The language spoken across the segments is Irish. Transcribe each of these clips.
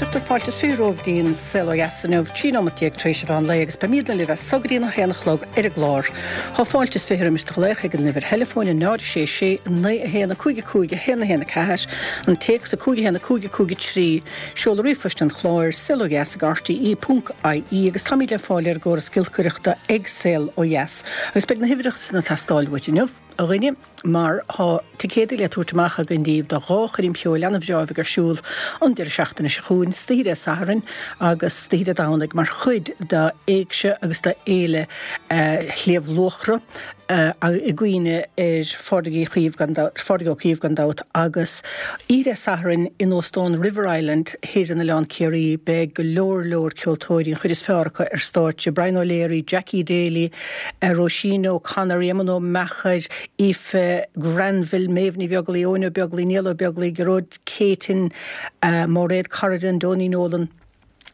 éisteacht ar Fáilte is 20 romhaibh go dtí an Saol Ó Dheas inniu, 13 nóimeat tar éis an mheán lae agus beimidne libh as so go dtí an 1 a chlog ar an gclár. Tá fáilte is 20 roimis do ghlaoch ag an uimhir theileafóin 0 6 6 9 1 5 5 1 1 4, an téacs 5 1 5 5 3, seoladh ríomhphoist an chláir, saolodheas ag rte ponc ie agus táimid le fáil ar an gcóras giolcaireachta ag Saol Ó Dheas. Agus beidh na huimhreacha san ag teastáil uait inniu, a dhuine. mar tá ticéadaí le tabhairt amach againn daoibh do dhá choirm cheoil an-bhreá a bheidh ar siúl an deireadh seachtaine seo chugainn, istoíche Dé Sathairn agus istoíche Dé Domhnaigh, mar chuid d'Éigse agus d'Fhéile Shliabh Luachra, i gcuimhne ar Phádraig Uí Chaoimh gan dabht, Phádraig Ó Caoimh gan dabht, agus oíche Dé Sathairn in Óstán River Island thoir in Oileán Ciarraí beidh go leor leor ceoltóirí, an chuid is fearr acu, ar stáitse, Brian O'Leary, Jackie Daly, Róisín O'Connor, Éamonn Ó Meachair, Aoife Granville, Méabh Ní Bheaglaoi, Eoin Ó Beaglaoi, Niall Ó Beaglaoi, Gearóid Céitinn, Mairéad Corrigan, Donie Nolan.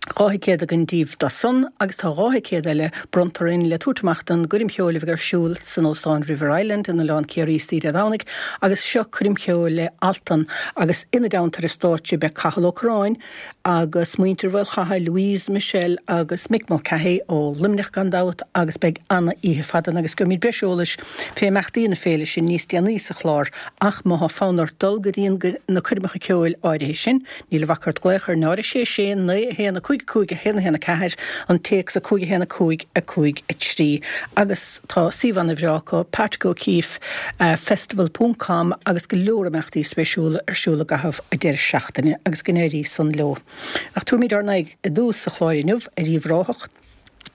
2 thicéad againn daoibh dó san agus tá 2 thicéad eile bronnta orainn le tabhairt amach don gcoirm cheoil a bheidh ar siúl san Óstán River Island in Oileán Ciarraí istoíche Dé Domhnaigh agus seo coirm cheoil le Altan agus ina dteannta ar an stáitse beidh Cathal Ó Curráin, agus muintir Mhaolchatha, Louise, Michelle agus Mick Mulcahy ó Luimneach gan dabht agus beidh ana-oíche fada ann agus gheobhaimid breis eolais fé imeachtaí na féile sin níos déanaí sa chlár ach má thá fonn ort dul go dtí na coirmeacha ceoil áirithe sin níl a bhac ort glaoch ar 0 6 6 9 1 5 5 1 1 4, an téacs 5 1 5 5 3 agus tá suíomh ana-bhreá acu, Patrick O'Keeffe Festival ponc com agus go leor imeachtaí spéisiúla ar siúl i gcaitheamh an deireadh seachtaine agus go n-éirí san leo. Ach tabharfaimid ár n-aghaidh i dtús sa chlár inniu ar Uíbh Ráthach.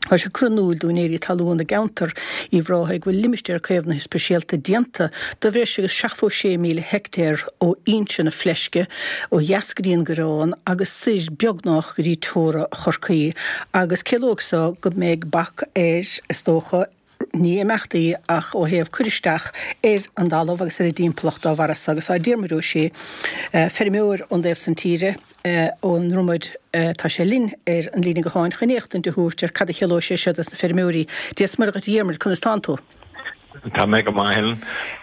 Tá sé curtha in iúl d'úinéirí talún i gceantar Uíbh Ráthaigh go bhfuil limistéar caomhnaithe speisialta déanta de bhreis agus 76,000 heictéar ó fhoinse na Fleisce ó dheas go dtí an Gaireán agus soir beagnách go dtí teora Chorcaí agus ciallóidh so go mbeidh bac ar, is dócha, ní imeachtaí ach ó thaobh cur isteach ar an dtalamh agus ar an dtimpeallacht dá bharra so. Agus tá Diarmuid Ó Sé, feirmeoir ón dtaobh san tíre, ón nDromaid, tá sé linn ar an líne gutháin chun éachtaint a thabhairt ar cad a chiallóidh sé seo dos na feirmeoirí. Dia 's Muire dhuit a Dhiarmuid, conas tánn tú? Tá mé go maith, Helen.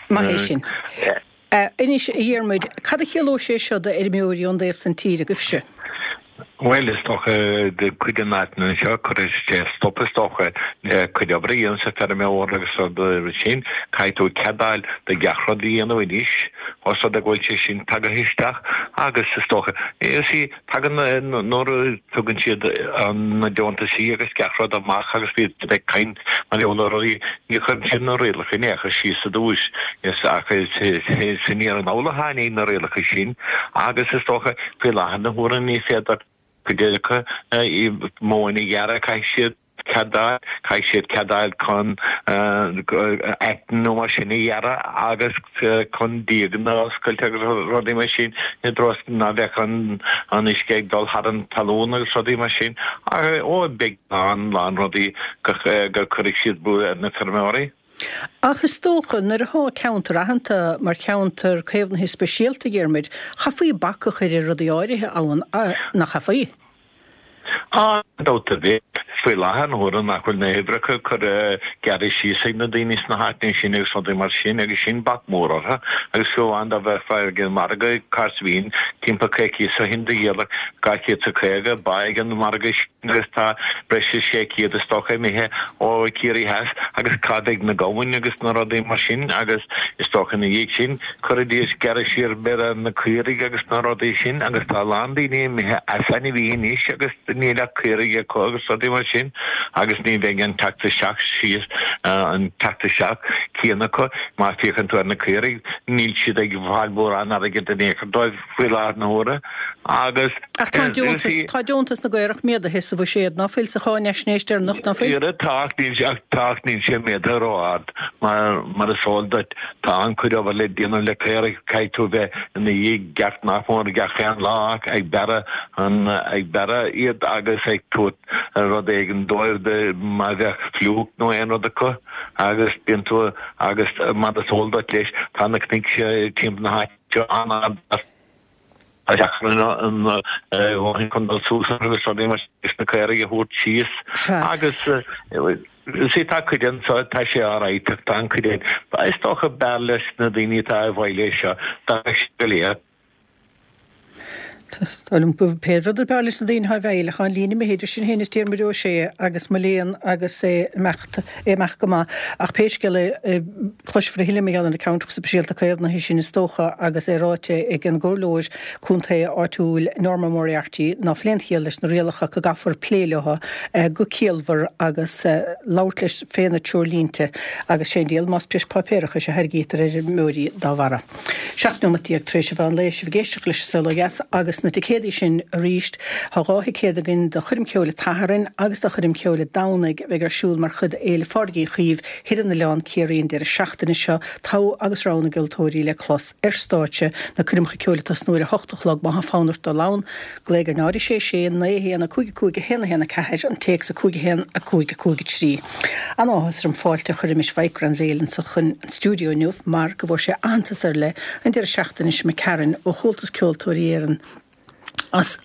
Maith é sin. Anois, a Dhiarmuid, cad a chiallóidh sé seo d'fheirmeoirí ón dtaobh san tíre agaibhse? Bhuel, is dócha, cuid de na háiteanna anseo, cuirfidh sé stop, is dócha, le cuid oibre a dhéanamh sa feirmeoir agus rudaí sin. Caithfidh tú cead a fháil do gach rud a dhéanamh anois, os rud é go bhfuil sé sin tagaithe isteach agus is dócha, you see, Tagann nuair a tugann siad na deontaisí agus gach rud amach agus bíonn siad ag caint mar gheall ar rudaí, ní chuireann siad na rialacha in aon chor síos i dtús ach is aniar anall a tháinig na rialacha sin agus is dócha faoi láthair na huaire ní féidir cuid acu móin a ghearradh, caithfidh siad cead a fháil, caithfidh siad cead a fháil chun aiteann nó mar sin a ghearradh agus chun díoganna a oscailt agus rudaí mar sin i dtreo is ná bheadh an uisce ag dul thar an talún agus rudaí mar sin. Ó, beidh lán, lán rudaí go cuirfidh siad brú ar na feirmeoirí. Ach is dócha, nuair atá ceantar aitheanta mar cheantar caomhnaithe speisialta, a Dhiarmuid, chaithfí bac a chur ar rudaí áirithe ann, nach chaithfí? Gan dabht ar bith, faoi láthair na huaire nach bhfuil na huimhreacha curtha gearrtha síos ag na daoine sna háiteanna sin agus rudaí mar sin agus sin bac mór orthu agus fiú amháin dá mbeifeá ag an margadh cá bhíonn timpeall coicíos ó shin do dhíoladh 250 ba ag an margadh sin agus tá breis is 600 is dócha imithe ó Ciarraí Theas agus cá mbeidh na gamhain agus na rudaí mar sin agus is dócha ina dhiaidh sin Chuirfidís gearradh siar b'fhéidir ar na caoirigh agus na rudaí sin agus tá a lán daoine imithe as ainmhithe anois agus níl ach caoirigh acu agus rudaí mar sin agus ní bheidh an teacht isteach síos, an teacht isteach céanna acu. Má féachann tú ar na caoirigh níl siad ag fáil mórán airgid in aon chor dóibh faoi láthair na huaire agus. Ach tá an deontas, tá deontas na gcaorach méadaithe sa bhuiséad, ná fuil, sa cháinaisnéis deireanach, ná fuil? Ara tá ach níl sé, tá ach níl sé méadaithe ró-ard mar, mar is eol duit. Tá an-chuid obair le déanamh le caoraigh, caithfidh tú bheith ina dhiaidh gach, nach mór gach aon lá ach ag bearradh an, ag bearradh iad agus ag tabhairt rud éigin dóibh má bheadh fliúc nó aon rud acu agus bíonn tú, agus mar is eol duit leis, tá na cnoic seo timpeall na háite seo an-ard as. Tá deacair an bhóithrín chun dul suas agus rudaí mar sin na caoirigh a thabhairt síos agus see tá cuid anso tá sé alright ach tá an cuid eile is dócha b'fhearr leis na daoine atá i bhfeighil é seo dá mbeadh siad go léir. Tá liom pé rud ab fhearr leis na daoine thá i bhfeighil ach tá an líne imithe idir sinn féin is Diarmuid Ó Sé agus mo léan agus é imeacht, é imeacht go maith. Ach pé scéal é, cloisfear a thuilleadh mar gheall ar na ceantracha speisialta caomhnaithe sin is dócha agus é ráite ag an gcomhairleoir contae áitiúil Norma Moriarty ná fuil aon chiall leis na rialacha go gcaithfear plé leo go ciallmhar agus labhairt leis fé na treoirlínte agus sé an diabhal más breis páipéarachais a thairgítear ar fheirmeoirí dá bharra. 17 nóimeat tar éis an mheán lae, sibh ag éisteacht leis An Saol Ó Dheas agus na ticéadaí sin arís. Tá 2 thicéad againn do choirm ceoil an tSathairn agus do choirm ceoil an Domhnaigh a bheidh ar siúl mar chuid d'Fhéile Phádraig Uí Chaoimh Thir an Oileáin, Ciarraí an deireadh seachtaine seo. Togha agus rogha na gceoltóirí le clos ar stáitse, na coirmeacha ceoil ag tosnú ar a hocht a chlog má tá fonn ort dul ann. Glaoigh ar 0 6 6 9 1 5 5 1 1 4, an téacs 5 1 5 5 3. An-áthas orm fáilte a chur roimis Mhaidhc Grainbhéil anso chun an stiúideo inniu mar go bhfuair sé aitheantas ar leith an deireadh seachtaine seo imigh tharainn ó Chomhaltas Ceoltóirí Éireann as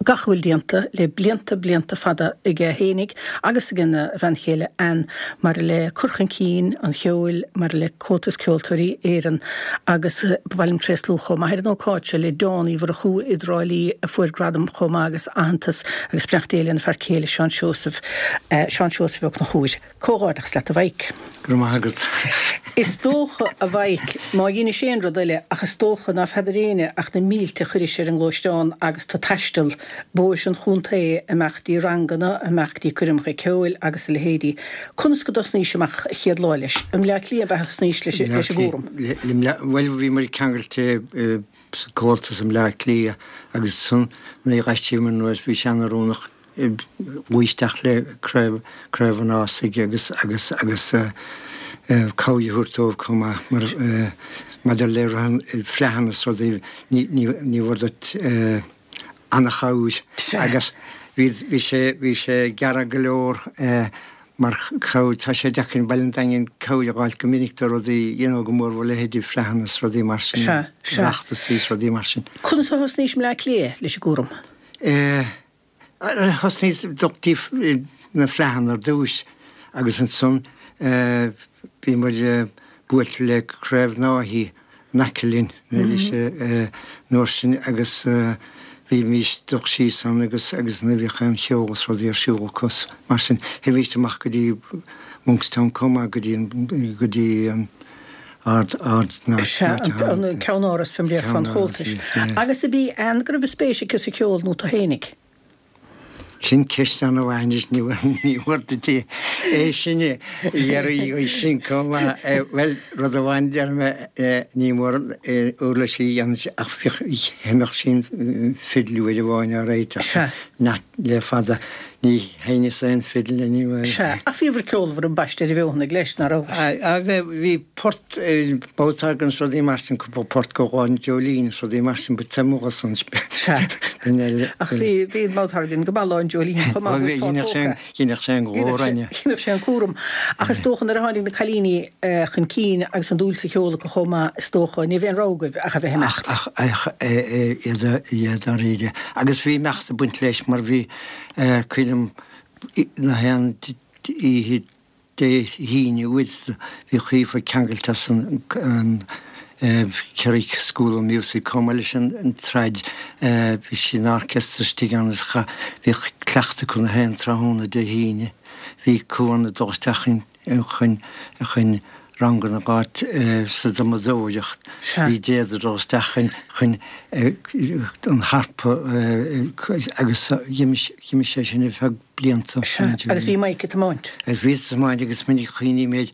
gach a bhfuil déanta le blianta blianta fada aige fhéinig agus ag a bhean chéile Ann maidir le cur chun cinn an cheoil, maidir le Comhaltas Ceoltóirí Éireann agus ba mhaith liom tréaslú chomh maith ar an ócáid seo le Dawn Uí Mhurchú i dTrá Lí a fuair gradam chomh maith agus aitheantas agus beannacht Dé lena fear céile Seán Seosamh, Seán Seosamh Ó Conchúir. Comhghairdeachas leat a Mhaidhc. Go raibh maith agat. Is dócha, a Mhaidhc, má dheinis aon rud eile, ach is dócha ná feadar éinne ach na mílte a chuiris ar an ngluaisteán agus tú taisteal bóithre an chontae, amach dtí ranganna, amach dtí coirmeacha ceoil agus a leithéidí. Conas go dtosnaís amach a chéad lá leis? I mBleá Cliath ab ea a thosnaís leis an gcúram? Bhuel, bhíomar ceangailte sa Comhaltas i mBleá Cliath agus ansan nuair a d'aistrigh anuas bhí sé an-oiriúnach luí isteach le Craobh Craobh an Ásaigh agus agus agus cabhair a thabhairt dóibh chomh maith mar maidir le rith fleadhanna is rudaí ní ní ní bhfuair duit an-chabhair agus bhí bhí sé bhí sé gearra go leor mar chabhair tá sé deacair i mBaile an Daingin cabhair a dh'fháilt go minic do rudaí you know go mór mhór leithéidí fleadhanna is rudaí mar sin Sea, sea. Oireachtasaí is rudaí mar sin. Conas a thosnaís i mBleá Cliath leis an gcúram? Eh. Thosnaíos ag dul dtí na fleadhanna ar dtúis agus ansan bhí muid buailte le Craobh Náithí in aice linn arís an uair sin agus bhímís ag dul síos ann agus agus nuair a bhíodh aon cheol is rudaí ar siúl acu is mar sin théimíst amach go dtí Monkstown chomh maith go dtí an go dtí an Ard Ard na Sea, an ceannáras fé mar a déarfá an Chomhaltais. Agus ab í Ann go raibh spéis aici sa cheol nó tú fhéinig? Sin ceist an-mhaith anois, ní mór duit é sin a iarraidh uirthi chomh maith. Bhuel, rud amháin a déarfaidh mé, ní mór uirlisí a dhéanamh ach sheinneadh sí an fidil uair amháin á réiteach le fada. Ní sheinneas aon fidil anyway. Sea, ach bhíobhair ceolmhar ambaiste ar an bhfeothanaigh leis, ná rabhais? Á, bhí port, mouth organ is rudaí mar sin, cúpla port go Lá an Dreoilín is rudaí mar sin, but tá mo ghuth Sea, ach bhí, bhí an mouth organ go maith Lá an Dreoilín chomh maith, bhí fáth tógtha. Dheineadh sé an glór aine. Dheineadh sé an cúram. Ach is dócha nuair a tháinig na cailíní chun cinn agus an dúil sa cheol acu chomh maith, is dócha, ní raibh aon rogha agaibh ach a bheith ag imeacht. Ach, ach, iad, iad dáiríre. Agus bhí imeacht ag baint leis mar bhí, Cuimhin liom na haon oíche Dé hAoine uair bhí Aoife ceangailte as an Kerry School of Music chomh maith leis an trad bhí sí in orchestra istigh ann agus bhíodh cleachtadh acu na haon tráthnóna Dé hAoine. Bhí Cuan ag dul isteach chun chun ranganna a dh'fháilt sa drumadóireacht. Bhí Deirdre ag dul isteach chun an harpa agus dh'imigh sé sin ar feadh blianta. Sea, agus bhí Mike ag tiomáint. Agus bhíos ag tiomáint agus minic a chuimhním air,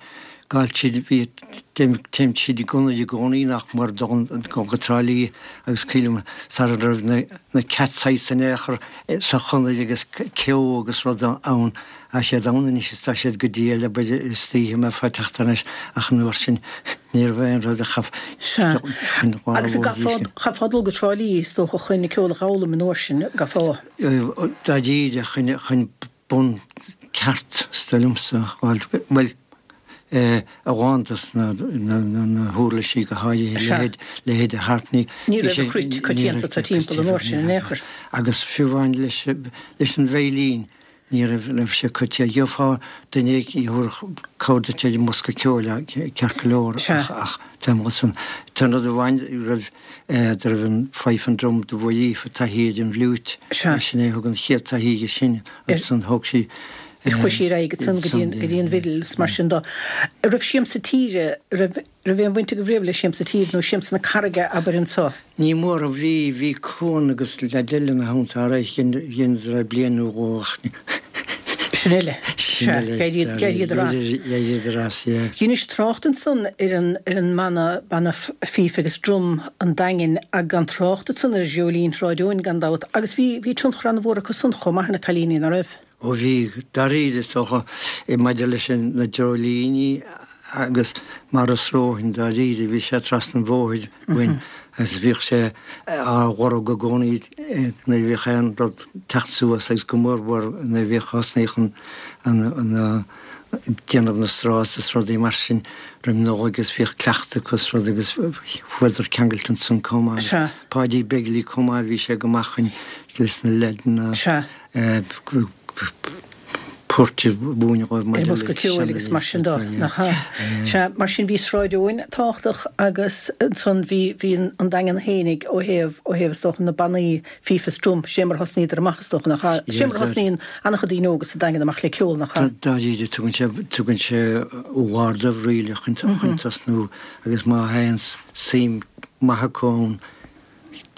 gabháil tríd, bhí, téim tríd an gconair i gcónaí nach mór dul go Trá Lí agus cuimhin liom sara raibh na cat sites in aon chor sa chonair agus ceo agus rud ann. Tá siad ann anois is tá siad go diail abair istoíche mé fá teacht thar n-ais ach an uair sin ní raibh aon rud a chaith Sea. chun Agus chaithfeá dul go Trá Lí is dócha chun an ceol a dh'fhoghlaim an uair sin, gcaithfeá? Dáiríre chun chun bun ceart is dóigh liomsa a fháil, bhuel a lán dos na na huirlisí go háirithe leithéid leithéid an harp ní Ní raibh an chruit coitianta timpeall an uair sin in aon chor. Agus fiú amháin leis leis an veidhlín. Ní raibh, raibh sé coitianta. Gheofá duine éigin a thabharfadh cabhair duit ar an mbosca ceoil ceart go leor ach, ach tá an t-aon rud amháin raibh, do raibh an fife and drum do bhuaigh Aoife taithí ar an bhfliúit. Sin é a thug an chéad taithí di sin ansan thóg sí Chuaigh sí ar aghaidh ansan go dtí an, go dtí an bhfidil is mar sin do. Raibh Siamsa Tíre, raibh, raibh aon bhaint agaibh riamh le Siamsa Tíre nó Siamsa na Carraige abair anso? Ní mór a bhí, bhí Cuan agus leaid eile ina theannta ar aghaidh dheineadar é bliain nó dhó ach ní. Sin eile. Sin eile. D'éiríodar as. D'éiríodar as, yeah. Dheinis trácht ansan ar an, ar an mbanna, banna Fife agus Drum an Daingin ach gan trácht ansan ar Dhreoilín Shráid Eoin gan dabht agus bhí, bhí tionchar an-mhór acu san chomh maith ar na cailíní, ná raibh? Ó bhí, dáiríre is dócha, maidir leis na Dreoilíní agus Maurice Rohan, dáiríre, bhí sé trasna an bhóthair uainn agus bhíodh sé á lorg i gcónaí nuair a bhíodh aon rud teacht suas agus go mórmhór nuair a bhíodh thosnaíodh an an déanamh na straws is rudaí mar sin roim Nollaig agus bhíodh cleachtadh acu is rud agus fuaireadar ceangailte ansan chomh maith. Páidí Begley chomh maith, bhí sé go maith chun leis na leaideanna. Poirt a mhúineadh dóibh Ar maidir le bosca ceoil agus mar sin de, nach ea? Sea, mar sin bhí Sráid Eoin tábhachtach agus ansan bhí, bhí an Daingean fhéinig ó thaobh, ó thaobh is dócha na bannaí Fife is Drum, sé mar a thosnaíodar amach is dócha, nach ea? Sé mar a thosnaíonn an-chuid daoine óga sa Daingean amach le ceol, nach ea? Dáiríre, tugann sé, tugann sé barr dóibh really chun, chun tosnú agus má théann suim maith acu ann,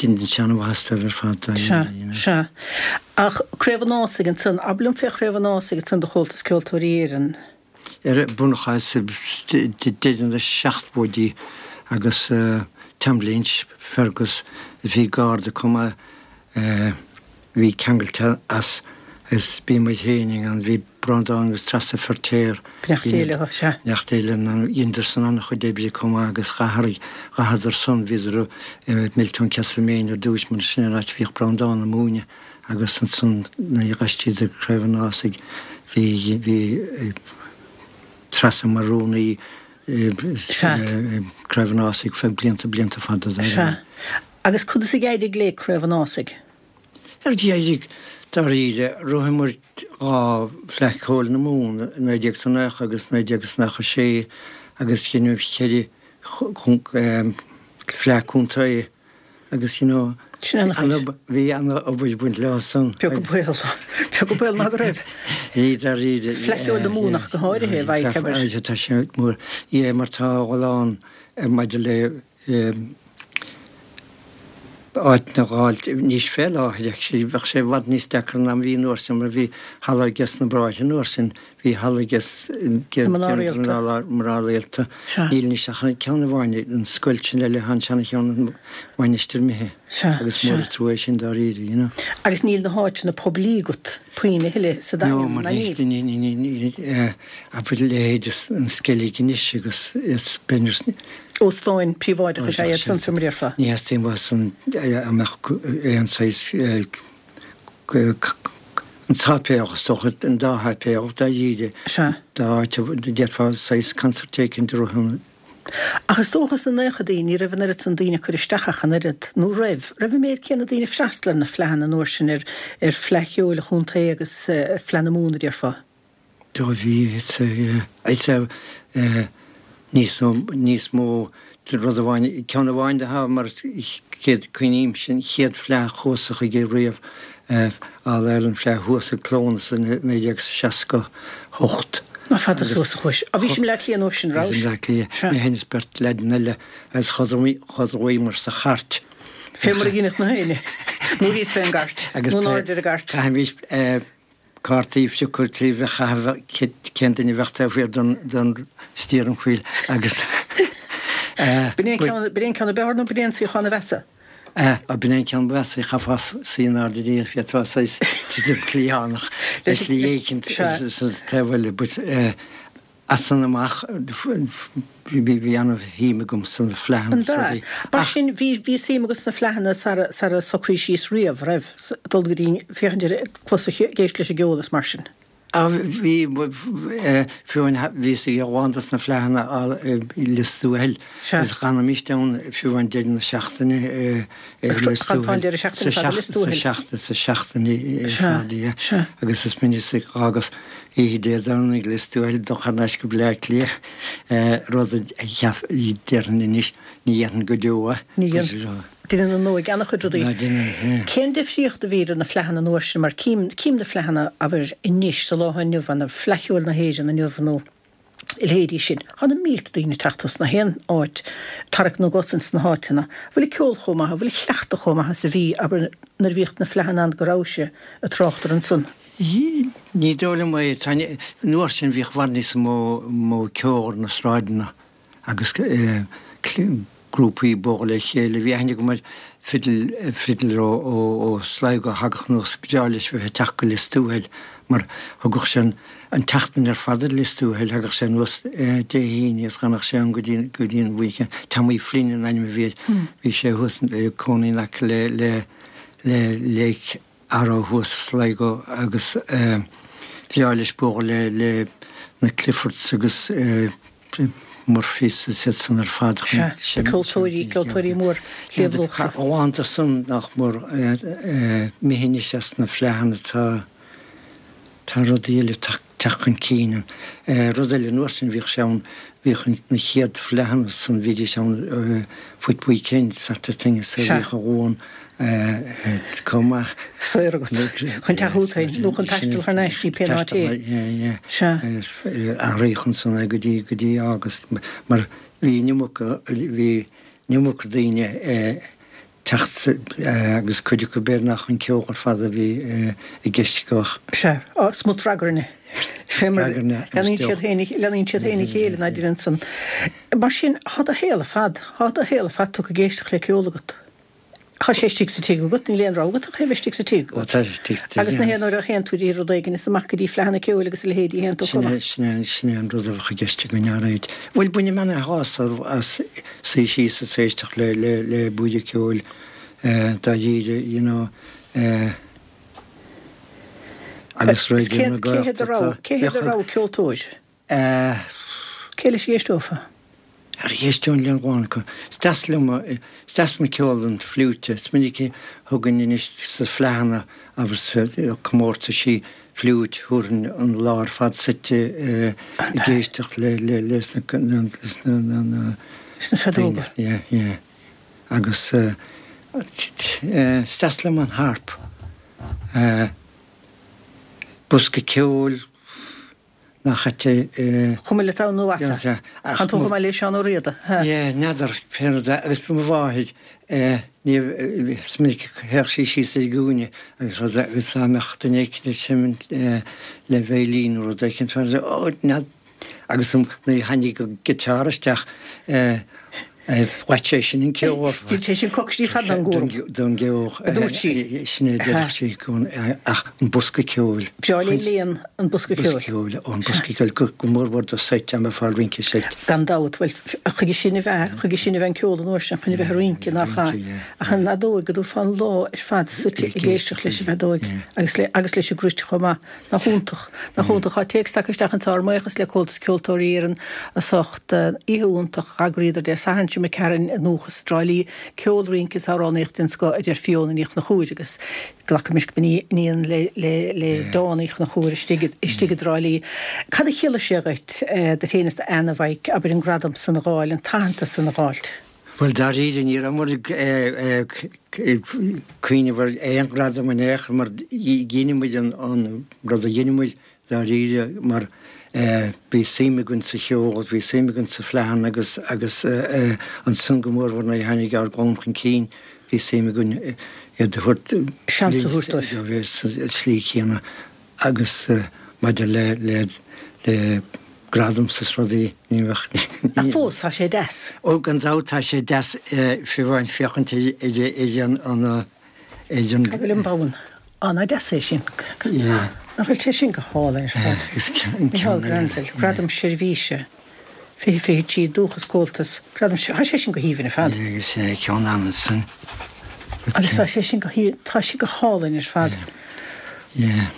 Deineann sé an-mhaitheas dóibh ar fad Sea, sea. Ach Craobh an Ásaigh ansan, abair liom fé Chraobh an Ásaigh ansan do Chomhaltas Ceoltóirí Éireann. Ar bunachas deireadh na seachtóidí agus Tom Lynch, Fergus, bhí Garda chomh maith, bhí ceangailte as agus bhí muid féin ann, bhí Breandán agus Treasa Feirtéar, Beannacht Dé leo, sea. Beannacht Dé leo, dheineadar san an-chuid oibre chomh maith agus ghabhadar san, bhíodar i Milltown Castlemaine ar dtúis mar sin an áit a bhíodh Breandán ag múineadh agus ansan nuair a d'aistríodar go Craobh an Ásaigh bhí, bhí Treasa mar rúnaí i Craobh an Ásaigh feadh blianta, blianta fada. Sea. Agus conas a d'éirigh le Craobh an Ásaigh? Ar d'éirigh, dáiríre, ghnóthaíomar 2 Fleadh Cheoil na Mumhan i 1990 agus 1996 agus dheineamar cheithre Fleadh Contae agus you know bhí an-obair ag baint leo san. Beag an baol, beag an baol ná go raibh. Bhí dáiríre. Fleadh Cheoil na Mumhan ach go háirithe, bheadh, abair. Tá sé mór, yeah, mar tá a lán maidir le áit a fháil anois fé láthair actually bheadh sé i bhfad níos deacra ná bhí an uair sin mar bhí halla ages na Bráithre an uair sin, bhí halla ages na mná rialta. Níl anois ach an ceann amháin, an scoilt sin eile, an seana-cheann an Mhainistir imithe agus mór an trua é sin dáiríre, you know. Agus níl na háiteanna poiblí agat puinn a thuilleadh sa Daingean, ná níl? No, mar níl, níl, abair leithéid an Sceilg anois agus is b'fhéidir. Óstáin príobháideacha is ea iad san, fé mar a déarfá. Ní theastaíonn uait san a mbeadh aon saghas an tsáipéal is dócha, an dá sháipéal dáiríre, dá áit a d'fhéadfá saghas concert éicint a rith ann. Ach is dócha sna naochadaí ní raibh an oiread san daoine ag cur isteach ach an oiread, nó raibh? Raibh an méid céanna daoine ag freastal ar na fleadhanna an uair sin, ar ar Fleadh Cheoil an Chontae agus Fleadh na Mumhan a déarfá? Do bhí, it's a, it's a, níos nó, níos mó, rud amháin, ceann amháin de ha, mar chéad, cuimhním sin, chéad fleadh a chuas-sa chuige riamh, All Ireland Fleadh thuas ag Clones i 1968. Nach fada suas a chuais. Á bhí sibh i mBleá Cliath an uair sin, raibh? Bhí i mBleá Cliath, mé féin is beirt leaideanna eile agus chodlaíomar sa chairt. Fé mar a dheineadh na héinne. Nó thíos fén gcairt. Nó in airde ar an gcairt. Chaithimis cártaí a phiocadh tríd a chaitheamh cén duine a bheadh taobh thiar den steering wheel agus. B'in é an ceann ab fhearr nó b'in é an suíochán a mheasa? Á, b'in é an ceann ba mheasa, chaithfeá suí in airde de d'fhéadfá saghas titim cliathánach le slí éicint sa taobh eile but As san amach bhí an-shuim agam sna fleadhanna is rudaí. Mar sin bhí bhí suim agat sna fleadhanna sara sara socraís síos riamh, raibh? Dul go dtí féachaint ar clos ag éisteacht leis an gceol is mar sin. Bhí, fiú amháin bhíos ag a lán dos na fleadhanna i Lios Tuathail agus d'fhanaimíst ann fiú amháin deireadh na seachtaine i Lios Tuathail. Sa seachtain ar fad, yeah. Agus is minic a dh'fhágas oíche Dé Domhnaigh Lios Tuathail dul thar n-ais go Bleá Cliath, rud a déarfainn anois ní dhéanfainn go deo é. Ní dhéanfainn. Déanann an óige an-chuid rudaí. Cén difríocht a bhí idir na fleadhanna an uair sin, mar cím, cím na fleadhanna, abair, anois, sa lá atá inniu ann, Fleadh Cheoil na hÉireann inniu nó a leithéidí sin. Tá na mílte daoine ag teacht as na haon áit, tarrac na gcos ins na háiteanna. An bhfuil an ceol chomh maith, an bhfuil an cleachtadh chomh maith is a bhí, abair, nuair a bhíodh na fleadhanna ann go rabhais ag trácht air ansan? Ní dóigh liom é. Tá, an uair sin bhíodh i bhfad níos mó, mó ceol ar na sráideanna. agus grúpaí ag bualadh le chéile. Bhí aithne agam ar fiddle, fiddler ó Sligo a thagadh anuas, ba bhreá leis bheith ag teacht go Lios Tuathail mar thugadh sé an tseachtain ar fad ar Lios Tuathail, thagadh sé anuas Dé hAoine agus d'fhanadh sé ann go dtí, go dtí an weekend. Tommy Flynn an ainm a bhí air. Bhí sé thuas ag cónaí in aice le, le, le Lake Arrow thuas i Sligo agus bhreá leis bualadh le le na Cliffords agus Murphys is iad san ar fad chun Sea, na ceoltóirí, ceoltóirí mór Shliabh Luachra. A lán de san nach mór imithe anois as na fleadhanna tá tá rudaí eile ag teacht chun cinn. Rud eile an uair sin bhíodh sé ann, bhíodh na chéad fleadhanna san, bhídís ann foot weekend sort of thing so bhíodh an Luan chomh maith. Saor agat chun teacht chugat féin nó chun taisteal thar n-ais dtí pé áit é. Sea. Agus athraíodh ansan é go dtí go dtí August mar bhí an iomarca bhí an iomarca daoine teacht agus cuid acu b'fhéidir nach an ceol ar fad a bhí i gceist acu ach. Sea, smut ragairne. Fé mar leanaíonn siad féin, leanaíonn siad féin a chéile ná deireann san. Mar sin, thá do shaol ar fad, thá do shaol ar fad tugtha ag éisteacht le ceol agat. Thá sé istigh sa tigh agat, níl aon rogha agat ach é a bheith istigh sa tigh agat. Tá sé istigh sa tigh, Agus na haon uair a théann tú dtí rud éigin is amach go dtí fleadhanna ceoil agus a leithéidí a théann tú chomh maith. Sin é, sin é an rud a bheadh i gceist againn, alright. Bhuel, bainim ana-shásamh as suí síos is éisteacht le, le, le buille ceoil, dáiríre, you know, agus Raidió na Gaeltachta. Cé hé do rogha ceoltóir? Cé leis a d'éisteofá? Ar éisteoinn le lán acu. Is deas liom, is deas liom ceol an fliúite. Is minic a thugainn anois sna fleadhanna agus sa comórtaisí fliúit, thabharfainn an lá ar fad suite ag éisteacht le, le, leis na, leis na, na, na. Leis na feadóga. Yeah, yeah. Agus is deas liom an harp. Bosca ceoil. Nach ait é. Chuma leat ann nó as. Tá tú chomh maith le Seán Ó Riada. Yeah, n'fheadar, pé rud é. Agus mo mháthair, ní, is minic a théadh sí síos ar an gcúinne agus rud agus dá mbeadh duine éicint ag seimint le veidhlín nó rud éicint, ó, n'fheadar, agus nuair a tháinig an guitar isteach, Ghlac sé sin an ceol. Bhí sé sin coicís fada don gcúram. Don gceol. A dúirt sí. Sin é a deireadh sí i gcónaí ach an bosca ceoil. Breá léi léan an bosca ceoil. Bosca ceoil, ó an bosca ceoil go mór mhór do seit dá mbeifeá ag rince seit. Gan dabht, bhuel chuige sin a bheith, chuige sin a bheith an ceol an uair sin, chun a bheith ag rince nach ea? Ach an fheadóig go dtabharfá an lá ar fad suite ag éisteacht leis an bhfeadóig agus le agus leis an gcruit chomh maith. Nach iontach. Nach iontach. Tá téacs tagtha isteach anso, ár mbuíochas le Comhaltas Ceoltóirí Éireann as ucht oíche iontach a d'eagraíodar Dé Sathairn seo imigh tharainn i nDúchas i dTrá Lí. Ceol, rince is amhránaíocht den scoth a deir Fiona Ní Chonchúir agus glacaimis go b'iníon le le Dawn Uí Chonchúir istigh istigh i dTrá Lí. Cad a chiallaigh sé dhuit, duit féin is d'Anna, a Mhaidhc, abair an gradam san a dh'fháil, an t-aitheantas san a dh'fháilt? Bhuel, dáiríre, ní rabhamar ag cuimhneamh ar aon ghradam in aon chor mar dhein muid an rud a dhein muid, dáiríre, mar bhí suim againn sa cheol, bhí suim againn sa fleadhanna agus agus ansan go mórmhór nuair a tháinig ár gclann chun cinn, bhí suim againn iad a thabhairt, seans a thabhairt dóibh. sa tslí chéanna. Agus maidir le, le, le gradaim 's rudaí, ní bheadh, ní. Ach fós, tá sé deas. Ó, gan dabht tá sé deas, fiú amháin féachaint ar, ar an, an, ar an. Cá bhfuil an bonn? Á, nach deas é sin. Yeah. Nach bhfuil sé sin go hálainn ar fad. Is ceann Micheál Granville, Gradam Seirbhíse 2023, Dúchas Comhaltas, Gradam, tá sé sin go haoibhinn ar fad. Yeah, agus ceann Amundsen. Agus tá sé sin go, tá sé go hálainn ar fad. Yeah.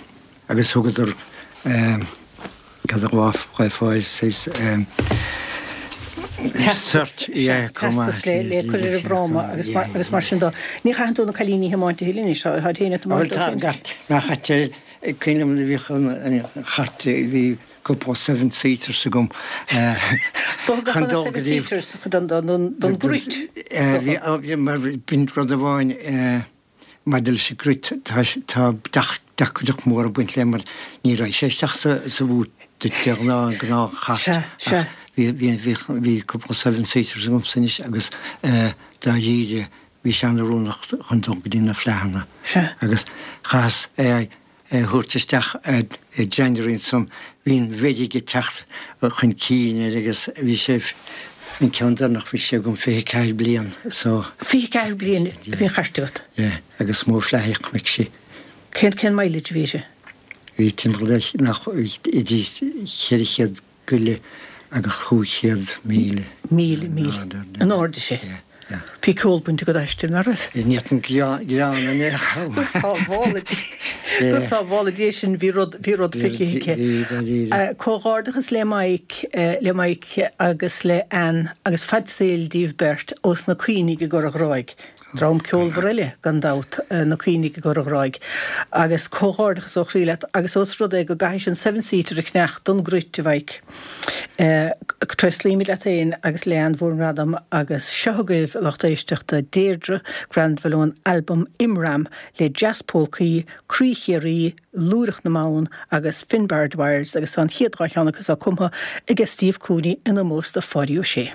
Agus thugadar. Cad a ghlaofá saghas cert, yeah, Teastas le cur ar an bhfráma agus mar sin dó. Ní chaitheann tú na cailíní a thiomáint a thuilleadh anois, táid féin ag tiomáint dóibh féin. Bhuel tá, nach ait cuimhin liom nuair a bhíodh an chairt, bhí cúpla seven seaters agam chun dul go dtí. Seven seaters don gcruit. Bhí, mar b'in rud amháin. Maidir leis an gcruit, tá deacracht mhór ag baint léi mar ní raghaidh sé isteach sa bhút duit de ghnáth, an gnáthchairt ach bhí cúpla seven seaters agamsa anois agus dáiríre bhí sé an-oiriúnach chun dul go dtí na fleadhanna agus chaitheas é a thabhairt isteach i January ansan bhí an mheirg ag teacht chun cinn air agus bhí sé, an ceann deireanach bhí sé agam 24 bliain so. 24 bliain a bhí an chairt agat? Yeah, agus mó fleadh a chonaic sí. Cén, cén mileage a bhí uirthi? Bhí timpeall ar, nach, idir 400 go leith agus 500,000. Míle, míle. In airde sé. Bhí ceol bainte agat aisti, nach raibh? Ní fhéadfainn greann in aon chor. Go sábhála Dia, go sábhála Dia sinn, bhí rud, bhí rud feicthe aici. Bhí, dáiríre. Comhghairdeachas le Mike, le Mike agus le Ann agus fad saoil díobh beirt ós na Caoinigh i gCora Ghráig. Dream ceolmhar eile, gan dabht, na Caoinigh i gCora Ghráig. Agus comhghairdeachas ó chroí leat, agus ós rud é go gcaithfidh an seven seater a cheannach don gcruit, a Mhaidhc, tréaslaímid leat féin agus le Ann bhur ngradam, agus seo agaibh, a lucht éisteachta, Deirdre Granville ón albam Imram le Jazz Polcaí, Croí Chiarraí, Lúireach na mBan agus Finbar Dwyers, agus tá an chéad dá cheann acu so cumtha aige Steve Cooney in ómós do Pháidí Ó Sé.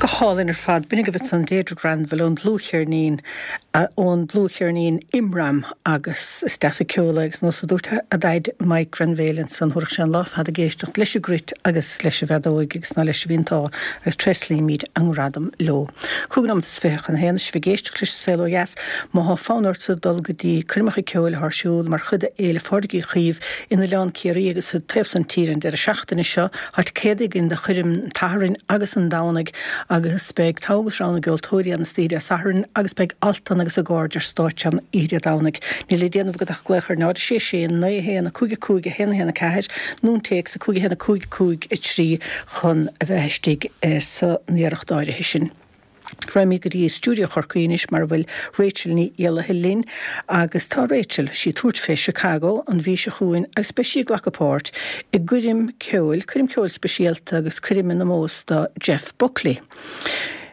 Go hálainn ar fad. B'in agaibh ansan Deirdre Granville ón dlúthcheirnín, ón dlúthcheirnín Imram agus is deas an ceol é agus nós a dúirt a Dhaid Mike Granville ansan thabharfadh sé an lá fada ag éisteacht leis an gcruit agus leis an bhfeadóig agus ná leis an bhí an t-ádh agus tréaslaímid a ngradam leo. 25 nóimeat chun a haon is sibh ag éisteacht leis an Saol Ó Dheas. Má thá fonn ortsa dul go dtí coirmeacha ceoil athá ar siúl mar chuid de Fhéile Phádraig Uí Chaoimh in Oileán Ciarraí agus sa taobh san tíre an deireadh seachtaine seo, thá ticéadaí againn do choirm an tSathairn agus an Domhnaigh agus. agus beidh togha agus rogha na gceoltóirí ann istoíche Dé Sathairn agus beidh Altan agus a gcairde ar stáitse ann oíche Dé Domhnaigh. Níl le déanamh agat ach glaoch ar 0 6 6 9 1 5 5 1 1 4 nó an téacs 5 1 5 5 3 chun a bheith istigh san iarracht áirithe sin. Raghaimid go dtí stiúideo Chorcaí anois mar a bhfuil Rachel Ní Éallaithe linn agus tá Rachel, sí ag tabhairt fé Chicago an mhí seo chugainn agus beidh sí ag glacadh páirt i gcoirm ceoil, coirm ceoil speisialta agus coirm in omós do Jeff Buckley.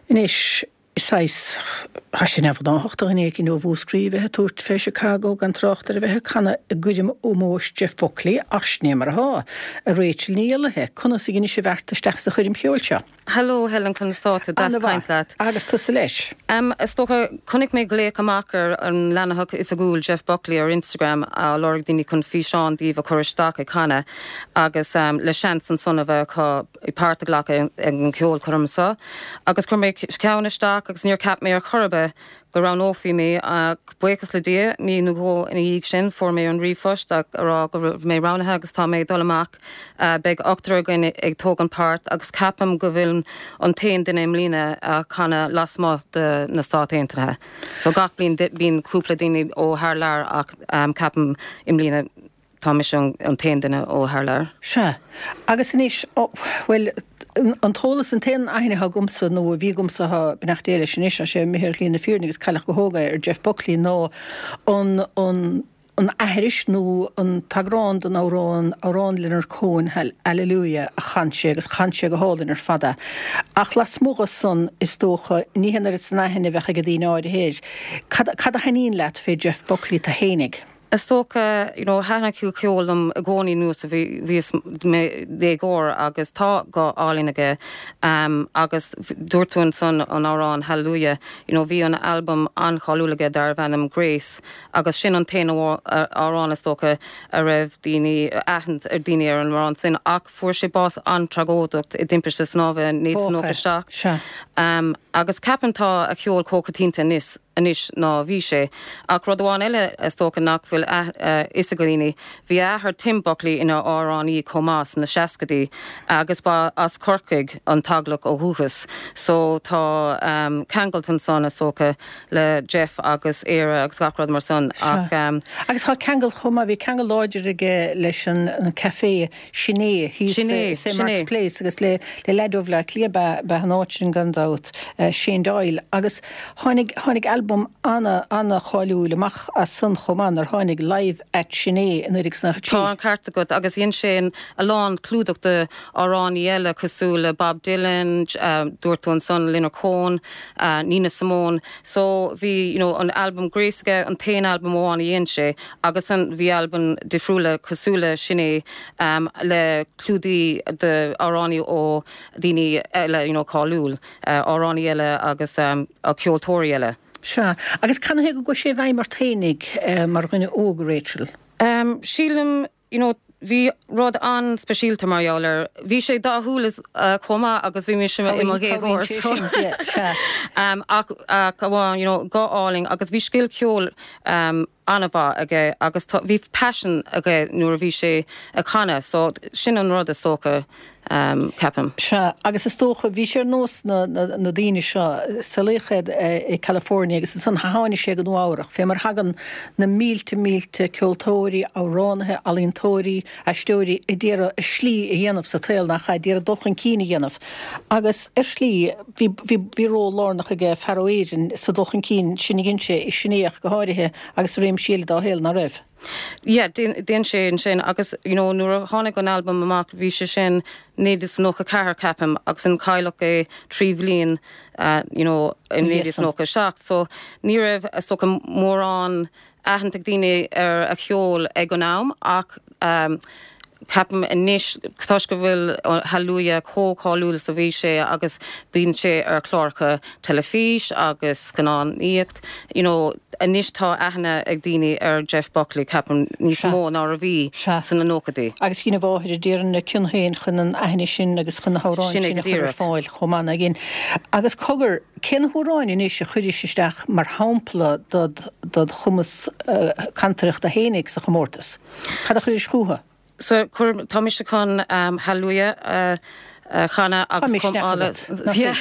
Anois, saghas, tá sé neamhghnáthach do dhuine éicint ó Mhúscraí a bheith ag tabhairt fé Chicago gan trácht ar a bheith ag canadh i gcoirm ómóis Jeff Buckley ach sin é mar atá. A Rachel Ní Éallaithe, conas a dheinis an bheart isteach sa choirm cheoil seo? Hello Helen, conas tá tú? Deas caint leat. Agus tusa leis. Em, is dócha, chonaic mé glaoch amach ar an leathanach oifigiúil Jeff Buckley ar Instagram á lorg daoine chun físeán díobh a chur isteach ag canadh agus em le seans ansan a bheith acu páirt a ghlacadh ag an cheolchoirm seo. Agus chuir mé ceann isteach agus níor cheap mé ar chor ar bith go roghnófaí mé ach buíochas le Dia, mí nó dhó ina dhiaidh sin fuair mé an ríomhphost ag rá go raibh mé roghnaithe agus tá mé ag dul amach. Beidh ochtar againn ag tógaint páirt agus ceapaim go bhfuilim an t-aon duine i mbliana a chanadh lasmuigh de na Stáit Aontaithe. So gach bliain bíonn cúpla daoine ó thar lear ach ceapaim i mbliana tá mise an t-aon duine ó thar lear. Sea. Agus anois, bhuel, an t-eolas, an t-aon aithne atá agamsa, nó a bhí agamsa, tá, beannacht Dé leis anois, tá sé imithe ar shlí na fírinne agus cailleadh go hóg é, ar Jeff Buckley ná an, an, an aithris nó an t-eagrán den amhrán, amhrán Leonard Cohen, Hallelujah, a chan sé agus chan sé go hálainn ar fad é. Ach lasmuigh dhe san, is dócha, ní hé an oiread san aithne a bheadh ag daoine áirithe air. Cad, cad a thaitníonn leat fé Jeff Buckley tú fhéinig? Is dócha, you know, thaitin a chuid ceoil liom i gcónaí anuas ó bhí, bhíos i mo dhéagóir agus tá guth álainn aige agus dúirt tú ansan an amhrán Hallelujah, you know, bhí an albam an-cháiliúil aige darbh ainm Grace agus sin an t-aon amhrán is dócha a raibh daoine, aithne ag daoine ar an amhrán sin ach fuair sé bás an-tragóideach i dtimpiste snámha i 1997 agus ceapaim tá a cheol chomh coitianta anois anois ná bhí sé. Ach rud amháin eile is dócha nach bhfuil a fhios ag daoine, bhí a athair Tim Buckley ina amhránaí chomh maith sna seascaidí agus ba as Corcaigh an teaghlach ó dhúchas so tá ceangailt ansan is dócha le Jeff agus Éire agus gach rud mar san ach. Sea. Agus tá ceangal chomh maith, bhí ceangal láidir aige leis an café Sin É thíos i St Mark's Place agus le leaid ó Bhleá Cliath ab ea an áit sin gan dabht, Shane Doyle. Agus tháinig, tháinig albam ana, ana cháiliúil amach as san chomh maith nuair tháinig Live at Sin É i 1993. Tá an ceart agat agus dhein sé a lán clúdach de amhránaí eile cosúil le Bob Dylan, dúirt tú ansan Leonard Cohen, Nina Simone. So bhí you know an albam Grace aige, an t-aon albam amháin a dhein sé agus an bhí albaim difriúla cosúil le sin é le clúdaí de amhránaí ó daoine eile you know cáiliúil, amhránaí eile agus ceoltóirí eile. Sea. Agus canathaobh go gcuaigh sé i bhfeidhm ort fhéinig mar dhuine óg, Rachel? Sílim you know bhí rud an-speisialta mar gheall air. Bhí sé dathúil chomh maith agus bhí mise i mo dhéagóir so ach ach amháin you know guth álainn agus bhí scil ceoil an-mhaith aige agus tá bhí paisean aige nuair a bhí sé ag canadh so sin an rud is dócha ceapaim. Sea, agus is dócha, bhí sé ar nós na daoine seo, saolaíodh é i California agus ansan tháinig sé go Nua Eabhrach, fé mar thagann na mílte mílte ceoltóirí, amhránaithe, ealaíontóirí, aisteoirí a d'iarraidh a slí a dhéanamh sa tsaol, nach ea, d'iarraidh dul chun cinn a dhéanamh. Agus ar shlí, bhí, bhí, bhí ról lárnach aige fear ó Éirinn sa dul chun cinn sin a dhein sé, i Sin É ach go háirithe, agus i réimsí eile dá shaol, ná raibh? Yeah, dhein sé ansin agus you know nuair a tháinig an albam amach bhí sé sin 1994 ceapaim agus an cailleadh é 3 bhliain you know i 1997 so ní raibh is dócha mórán aithint ag daoine ar a cheol ag an am ach um, ceapaim anois toisc go bhfuil Hallelujah chomh cáiliúil is a bhí sé agus bíonn sé ar chláracha teilifís agus scannánaíocht, you know, anois tá aithne ag daoine ar Jeff Buckley, ceapaim, níos mó ná a bhí sna nóchaidí. Agus dhein a mháthair, déarfainn, a cion féin chun an aithne sin agus chun na hamhráin sin a chur ar fáil chomh maith, nach dhein. Agus cogar, cé na hamhráin anois a chuiris isteach mar shampla dod chumas cantaireachta fhéinig sa chomórtas? Cad a chuiris chucu? So, cuir, tá mise chun Hallelujah a. Chanadh agus chomh maith le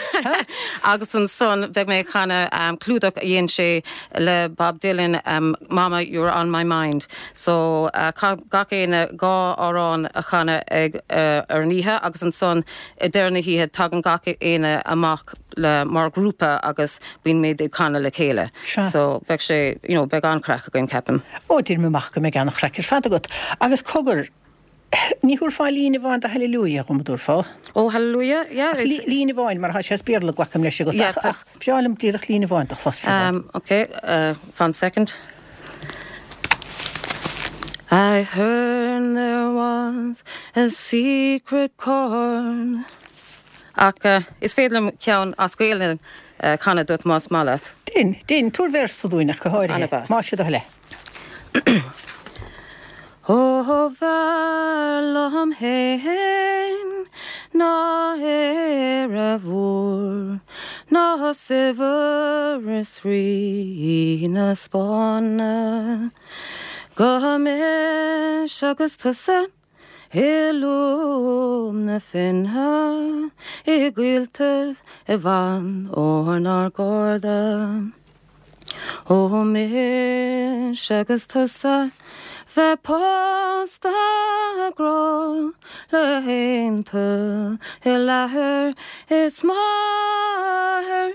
agus ansan beidh mé ag canadh clúdach a dhein sé le Bob Dylan, Mama You're On My Mind. So caithfidh gach éinne 2 amhrán a chanadh ag ar an oíche agus ansan i deireadh na hoíche tagann gach éinne amach le mar ghrúpa agus bíonn muid ag canadh le chéile. So beidh sé, you know, beidh an-chraic againn ceapaim. Ó, deirim amach go mbeidh an-chraic ar fad agat. Agus cogar, Ní thabharfá líne amháin de Hallelujah dhom, an dtabharfá? Ó, Hallelujah, yeah. Ach líne amháin, mar tá sé as Béarla, glacaim leis agat. Yeah, Ach bhreá liom díreach líne amháin do chlos fiú amháin. Ok, fan second. I heard there was a secret chord. Ach is féidir liom ceann as Gaelainn a chanadh duit más maith leat. Dein, dein, tabhair véarsa dúinn ach go háirithe. Ana-mhaith. Más é do thoil é. Ó b'fhearr liom fhéin ná Éire mhór Ná saibhreas Rí na Spáinne Go mise agus tusa i lúb na finne I gcoilltibh i bhfad ónár gcairde. Ó mise agus tusa bheith pósta a ghrá le haontú le hathair is máthair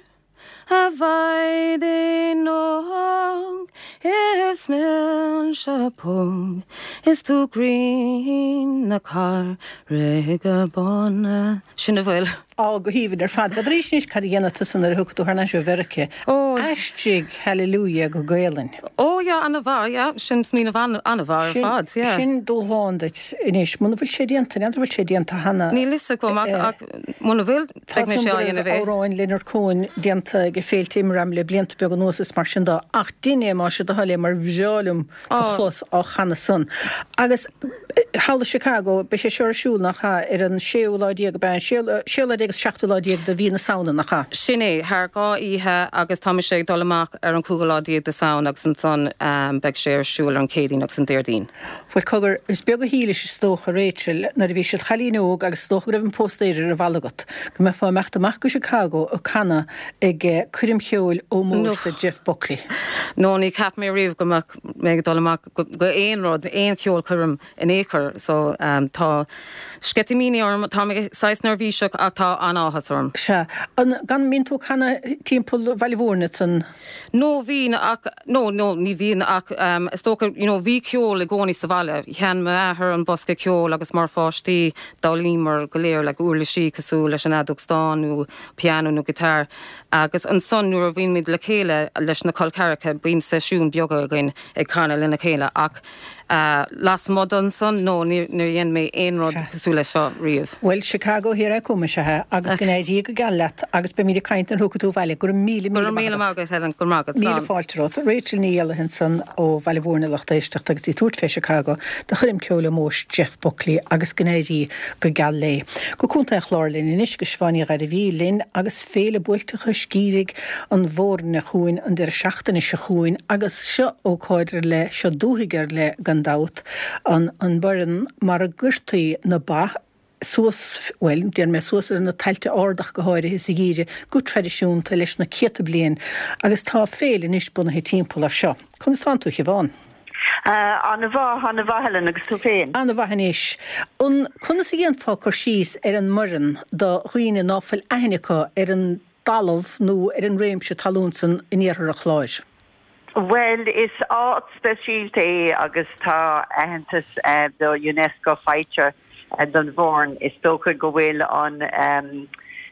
a mhaighdean óg is milse póg is tú grian na Carraige Báine. Sin a bhfuil. Á, go haoibhinn ar fad. N'fheadar anois cad a dhéanfaidh tusa nuair a thiocfaidh tú thar n-ais ó Mheirice. Ó. Aistrigh Hallelujah go Gaelainn. Ó, yeah, ana-mhaith, yeah. Sin smaoineamh ana-mhaith ar fad, yeah. Sin dúshlán duit anois. Muna bhfuil sé déanta, n'fheadar an bhfuil sé déanta cheana. Níl fhios agam ach, ach muna bhfuil, beidh mise á dhéanamh é. Tá amhráin Leonard Cohen déanta ag féilte Imram le blianta beaga anuas is mar sin de. Ach dein é, más é do thoil é, mar bhreá liom do chlos á chanadh san. Agus thall i Chicago, beidh sé seo ar siúl, nach ea, ar an séú lá déag, ab ea, an séú lá déag agus seachtú lá déag de mhí na Samhna, nach ea? Sin é, thar 2 oíche agus tá mise ag dul amach ar an cúigiú lá déag de Samhain agus ansan beidh sé ar siúl ar an Chéadaoin agus an Déardaoin. Bhuel, cogar, is beag a shílis, is dócha, Rachel, nuair a bhís id chailín óg agus is dócha go raibh an póstaer ar an bhalla agat, go mbeifeá ag imeacht amach go Chicago ag canadh ag coirm cheoil ómóis do Jeff Buckley. No, ní cheap mé riamh go mbeadh mé ag dul amach go aon rud, aon cheolchoirm in aon chor. So, tá sceitimíní orm, tá mé saghas neirbhíseach ach tá an-áthas orm. Sea. An, gan, mbíonn tú ag canadh timpeall Bhaile Mhúirne ansan? No, bhínn ach, no, no, ní bhíonn ach is dócha, you know, bhí ceol i gcónaí sa bhaile. Sheinn m'athair an bosca ceoil agus mar pháistí d'fhoghlaíomar go léir like uirlisí cosúil leis an fheadóg stáin nó pianó nó guitar agus ansan nuair a bhíonn muid le chéile leis na col ceathracha bíonn seisiúin beaga againn ag canadh lena chéile ach lasmuigh d'ansan no níor dhein mé aon rud cosúil leis seo riamh. Bhuel Chicago here I come is ea é agus go n-éirí go geal leat agus beimid ag caint nuair a thiocfaidh tú abhaile. Go raibh míle míle maith agat. Go raibh míle maith agat Helen, go raibh maith agat. Míle fáilte romhat. Rachel Ní Éallaithe ansan ó Bhaile Mhúirne lucht éisteachta agus í ag tabhairt fé Chicago do choirm ceoil ómóis Jeff Buckley agus go n-éirí go geal léi. Go Contae an Chláir linn anois agus Siobhán Ní Ghairbhí linn agus Féile Buailteacha Scírig an Bhoirne chugainn an deireadh seachtaine seo chugainn agus seo ócáid ar leith, seo dúthaigh ar leith gan dabht, an an Boireann mar a gcuirtí na ba suas, bhuel, déarfaidh mé suas ar na tailte arda ach go háirithe sa gheimhreadh go traidisiúnta leis na céadta bliain agus tá féile anois bunaithe timpeall air seo. Conas tánn tú, a Shiobhán? Ana-mhaith, ana-mhaith Helen, agus tú féin? Ana-mhaith anois. An, conas a dhéanfá cur síos ar an mBoireann do dhaoine ná fuil aithne acu ar an dtalamh nó ar an réimse talún san in iarthar an Chláir? Bhuel, is áit speisialta é agus tá aitheantas do Unesco faighte don Bhoirinn. Is dócha go bhfuil an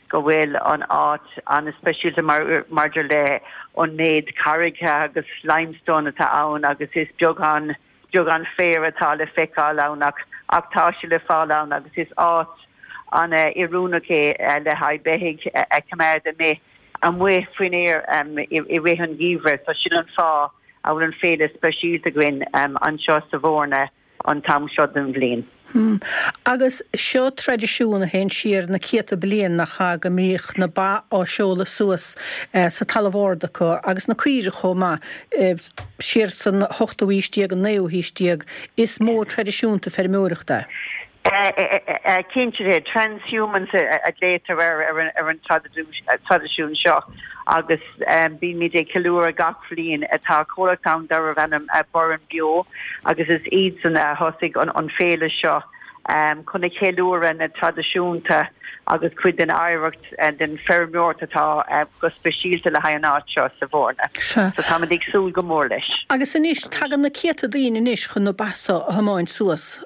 go bhfuil an áit an-speisialta mar maidir le an méid carraige agus limestone atá ann agus is beagán beagán féar atá le feiceáil ann ach ach tá sé le fáil ann agus is áit an-oiriúnach é le haghaidh beithígh a choimeád amuigh amuigh faoin aer i rith an gheimhridh. So sin an fáth a bhfuil an féile speisialta againn anseo sa Bhoirne an t-am seo den bhliain. Agus seo traidisiún a théann siar na céadta bliain, nach ea, go mbíodh na ba á seoladh suas sa talamh ard acu, agus na caoirigh chomh maith, siar san ochtú haois déag, an naoú haois déag. Is modh traidisiúnta feirmeoireachta é. Cinnte, transhumance a ghlaotar air ar an traidisiún seo agus bímid ag ceiliúradh gach bhliain. Tá comhlacht ann darbh ainm Burren Beo agus is iadsan a thosaigh an féile seo chun a cheiliúradh na traidisiúnta agus cuid den oidhreacht den feirmeoireacht atá go speisialta le haghaidh an áit seo sa Bhoirne. So táimid ag súil go mór leis. Agus anois, tagann na céadta daoine anois chun na ba so a thiomáint suas.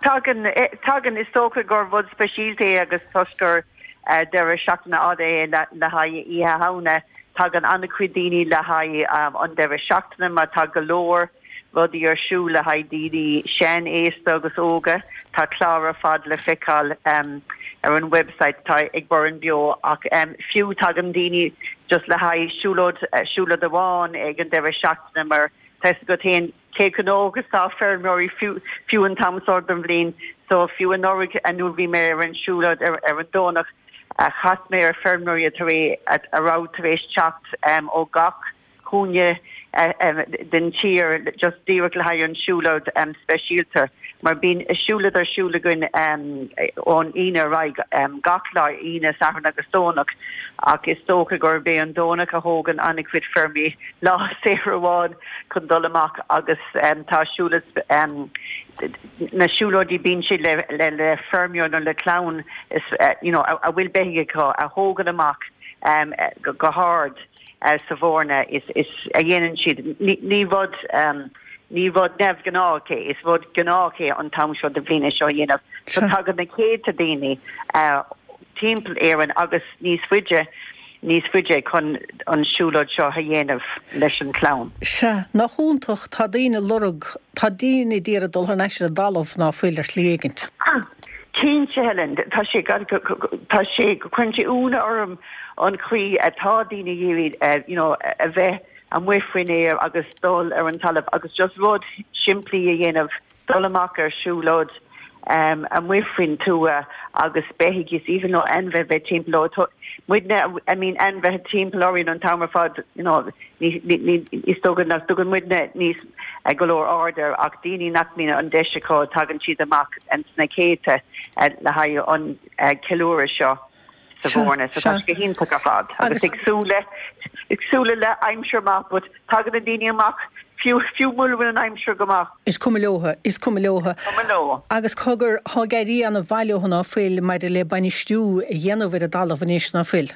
Tagann, tagann. Is dócha gur rud speisialta é agus toisc gur deireadh seachtaine fhada é le haghaidh Oíche Shamhna, tagann an-chuid daoine le haghaidh an deireadh seachtaine mar tá go leor rudaí ar siúl le haghaidh daoine sean, aosta agus óga. Tá clár ar fad le feiceáil ar an website atá ag Burren Beo ach fiú tagann daoine just le haghaidh siúlóid, siúlóid amháin ag an deireadh seachtaine mar tá 'fhios agat féin Cé chomh gnóthach is atá feirmeoirí fiú an t-am seo den bhliain so fiú anuraidh nuair bhí mé ar an siúlóid ar an Domhnach chas mé ar feirmeoirí a raibh tar éis teacht ó gach cúinne den tír just díreach le haghaidh an siúlóid speisialta mar bíonn siúlóid ar siúl againn ón Aoine ar aghaidh gach lá, Aoine, Satharn agus Domhnach ach is dócha gurb é an Domhnach a thógann an-chuid feirmeoirí lá saor amháin chun dul amach agus tá siúlóid na siúlóidí bíonn siad le le feirmeoir nó le clann is you know a bhfuil beithígh acu a thógann amach go hard sa Bhoirne is is a dhéanann siad ní rud ní rud neamhghnách é is rud gnách é an t-am seo de bhliain é seo a dhéanamh so tagann na céadta daoine timpeall Éireann agus níos faide níos faide chun an siúlóid seo a dhéanamh leis an chlann. Sea, nach iontach, tá daoine ag lorg, tá daoine ag iarraidh dul thar n-ais ar an dtalamh ná fuil ar shlí éigint. Cinnte, Helen, tá sé, tá sé, cuireann sé ionadh orm an chaoi atá daoine ag iarraidh you know a bheith amuigh faoin aer agus dul ar an talamh agus just rud simplí a dhéanamh dul amach ar siúlóid amuigh faoin tuath agus beithígh is even though ainmhithe bheith timpeall leo. Muidne, I mean ainmhithe timpeall orainn an t-am ar fad, you know, ní, ní, ní, is dócha nach dtugann muidne níos go leor aird air ach daoine nach mbíonn an deis acu tagann siad amach sna céadta le haghaidh an ceiliúradh seo. sa Bhoirne. So tá sé go hiontach ar fad. Agus ag súil le, ag súil le aimsir maith, but tagann na daoine amach fiú, fiú mura bhfuil an aimsir go maith. Is cuma leotha, is cuma leotha. Cuma leo. Agus cogar, thá ag éirí ana mhaith leotha ná fuil maidir le bainistiú a dhéanamh ar an dtalamh anois ná fuil?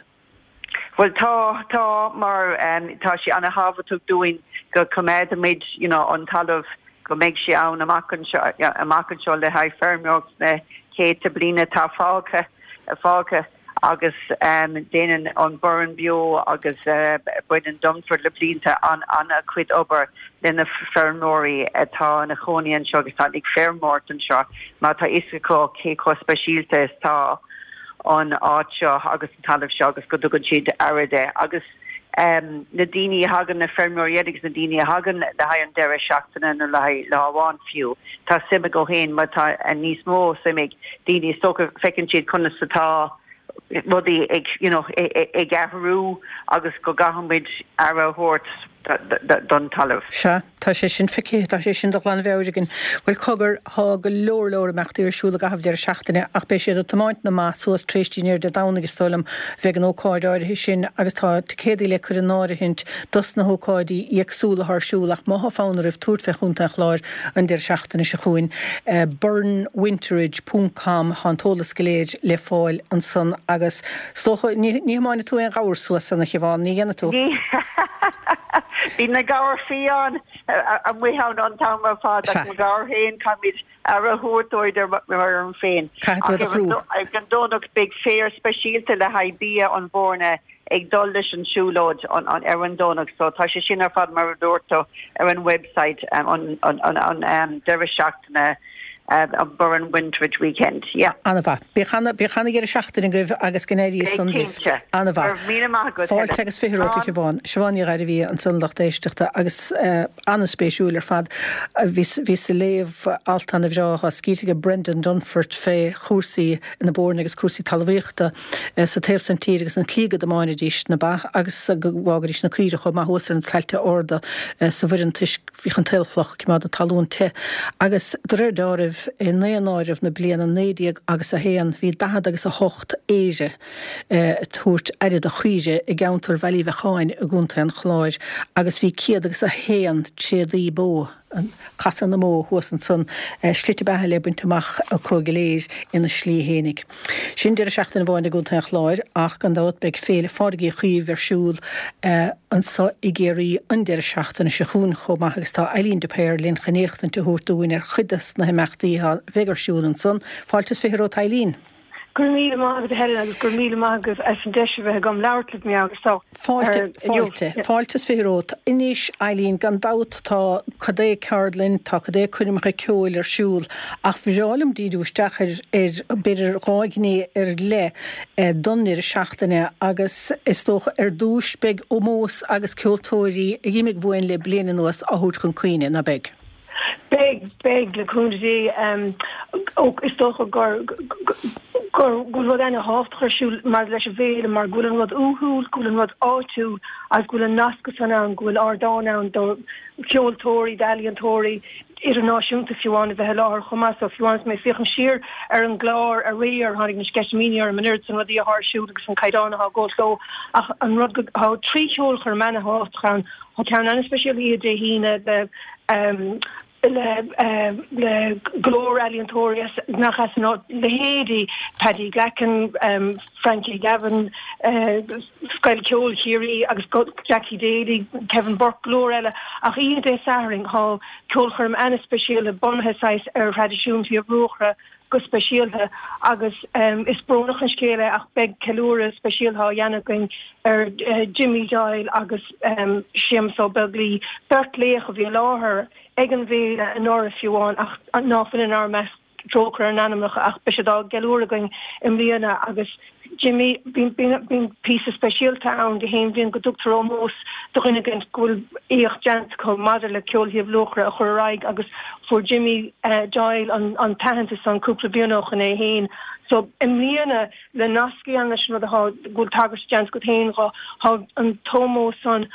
Bhuel tá, tá, mar tá sé ana thábhachtach dúinn go coimeádfaimid, you know, an talamh, go mbeidh sé ann amach anseo, amach anseo le haghaidh feirmeoireacht sna céadta bliana atá fágtha. fágtha agus déanann an Burren Beo agus Brendan Dunford le blianta an-chuid obair le na feirmeoirí atá ina chónaí anseo agus atá ag feirmeoireacht anseo mar tá fhios acu cé chomh speisialta is tá an áit seo agus an talamh seo agus go dtugann siad aire de agus na daoine a thagann, na feirmeoirí eile agus na daoine a thagann le haghaidh an deireadh seachtaine nó le haghaidh lá amháin fiú, tá suim acu féin mar tá níos mó suim ag daoine is dócha, feiceann siad conas atá rudaí ag you know ag athrú agus go gcaithfidh muid aire a thabhairt don talamh. Sea. Tá sé sin feicthe, tá sé sin de ghlanmheabhair againn. Bhuel, cogar, thá go leor leor imeachtaí ar siúl i gcaitheamh deireadh seachtaine ach beidh siad ag tiomáint na mba suas tar éis dinnéir Dé Domhnaigh is dóigh liom a bheidh an ócáid áirithe sin agus tá ticéadaí le cur in áirithint dos na hócáidí éagsúla atá ar siúl ach má thá fonn oraibh tabhairt fé Chontae an Chláir an deireadh seachtaine seo chugainn, burrenwinterage ponc com, thá an t-eolas go léir le fáil ansan agus is dócha, ní thiomáinfidh tú aon ghabhar suas san, a Shiobhán, ní dhéanfaidh tú? Ní. Bíonn na gabhair fiáin amuigh ann an t-am ar fad ach mo ghabhair féin caithfimid aire a thabhairt dóibh ar mo fheirm féin. Caithfidh tú iad a chrú. Ach ar an Domhnach beidh féar speisialta le haghaidh bia an Bhoirne ag dul leis an siúlóid ar an Domhnach so tá sé sin ar fad mar a dúirt tú ar an website an deireadh seachtaine an Burren Winterage Weekend. Yeah. An-mhaith. Bíodh ana, bíodh ana-dheireadh seachtaine agaibh agus go n-éirí Beidh san libh. cinnte. An-mhaith. Go raibh míle maith agat, Fáilte Helen. agus fiche romhat, a Slán. Shiobhán. Siobhán Ní Ghairbhí ansan, lucht éisteachta, agus an-spéisiúil ar fad. Bhíos, bhíos ag léamh alt an-bhreá atá scríte ag Brendan Dunford fé chúrsaí na Boirne agus cúrsaí talmhaíochta sa taobh san tíre agus an tslí go dtiomáinidís na ba agus go bhfágaidís na caoirigh chomh maith thuas ar na tailte arda sa Bhoireann toisc Bhíodh an t-aolchloch ag coimeád na talún te agus de réir deáraimh. Gaillimh i nDaonáireamh na bliana 19 agus 1, bhí 40 agus 8 aoire ag tabhairt aire do chaoire i gceantar Bhaile Uí Bheacháin i gContae an Chláir agus bhí 100 agus 1 tréadaí bó, casadh na mbó thuas ansan, slite beatha le baint amach acu go léir ina slí fhéinig. Sin deireadh seachtaine amháin i gContae an Chláir ach gan dabht beidh Féile Phádraig Uí Chaoimh ar siúl anso i gCiarraí an deireadh seachtaine seo chugainn chomh maith agus tá Eileen de Paor linn chun éachtaint a thabhairt dúinn ar chuid des na himeachtaí a bheidh ar siúl ansan. Fáilte is 20 romhat Eileen. Go raibh míle maith agat a Helen agus go raibh míle maith agaibh as an deis a bheith agam labhairt libh mar gheall Fáilte, fáilte, fáilte is 20 romhat. Anois, Eileen, gan dabht tá cad é ceardlann, tá cad é coirmeacha ceoil ar siúl ach bhreá liom díriú isteach ar, ar, b'fhéidir dhá ghné ar leith don ndeireadh seachtaine agus is dócha ar dtúis beidh ómós agus ceoltóirí a dh'imigh uainn le bliain anuas á thabhairt chun cuimhne, ná beidh? Beidh, beidh, le cúnamh Dé. Is dócha gur, gur, go bhfuil rud ana-thábhachtach ar siúl maidir leis an bhféile mar go bhfuil an rud uathúil, go bhfuil an rud áitiúil agus go bhfuil an nascadh san ann, go bhfuil ardán ann do cheoltóirí, d'ealaíontóirí idirnáisiúnta fiú amháin a bheith i láthair chomh maith. So fiú amháin is mé ag féachaint siar ar an gclár aréir tháinig na sceitimíní orm an oiread san rudaí atá ar siúl agus an caighdeán atá ag gabháil leo ach an rud go, tá trí cheolchoirm ana-thábhachtach ann. Tá ceann an-speisialta oíche Dé hAoine le le go leor ealaíontóirí as nach as an áit, leithéidí Paddy Glackin, Frankie Gavin, Scoil Ceoil Chiarraí agus Jackie Daly, Kevin Burke, go leor eile. Ach oíche Dé Sathairn tá ceolchoirm an-speisialta bunaithe saghas ar thraidisiún Shliabh Luachra, go speisialta agus is brónach an scéal é ach beidh ceiliúradh speisialta á dhéanamh againn ar Jimmy Doyle agus Séamus Ó Beaglaoi, beirt laoch a bhí i láthair ag an bhféile anuraidh fiú amháin ach ná fuil inár measc, trócaire ar a n-anamnacha ach beidh siad á gceiliúradh againn i mbliana agus Jimmy, bíonn píosa speisialta ann gach aon bhliain go dtugtar ómós do dhuine éigin go bhfuil éacht déanta acu maidir le ceol Shliabh Luachra a chur ar aghaidh agus fuair Jimmy Doyle an t-aitheantas san cúpla bliain ó shoin é féin. So i mbliana le nasc a dhéanamh leis an rud atá, go bhfuil tagairt déanta agat féin dho, tá an t-ómós san